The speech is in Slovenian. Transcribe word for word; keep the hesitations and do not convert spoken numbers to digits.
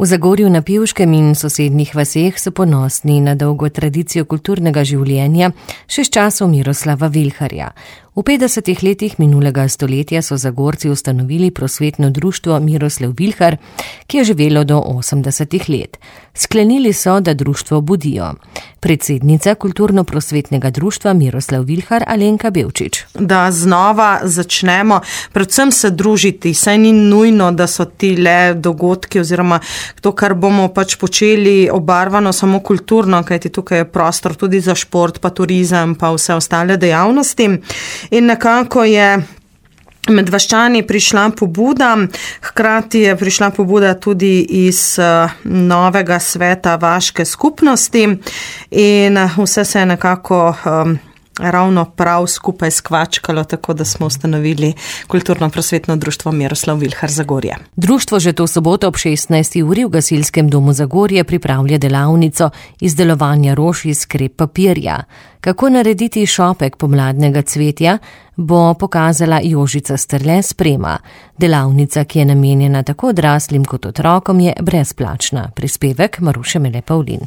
V Zagorju na Pivškem in sosednjih vaseh so ponosni na dolgo tradicijo kulturnega življenja še s časov Miroslava Vilharja. V petdesetih letih minulega stoletja so Zagorci ustanovili prosvetno društvo Miroslav Vilhar, ki je živelo do osemdesetih let. Sklenili so, da društvo budijo. Predsednica kulturno-prosvetnega društva Miroslav Vilhar Alenka Bevčič. Da znova začnemo predvsem se družiti, saj ni nujno, da so ti le dogodki oziroma to, kar bomo pač počeli obarvano samo kulturno, kajti tukaj je prostor tudi za šport, pa turizem, pa vse ostale dejavnosti. In nekako je med vaščani prišla pobuda, hkrati je prišla pobuda tudi iz novega sveta vaške skupnosti in vse se je nekako um, ravno prav skupaj skvačkalo, tako da smo ustanovili kulturno-prosvetno društvo Miroslav Vilhar Zagorje. Društvo že to soboto ob šestnajsti uri v Gasilskem domu Zagorje pripravlja delavnico izdelovanja rož iz krep papirja. Kako narediti šopek pomladnega cvetja, bo pokazala Jožica Strle Sprema. Delavnica, ki je namenjena tako odraslim kot otrokom, je brezplačna. Prispevek Maruše Mele Pavlin.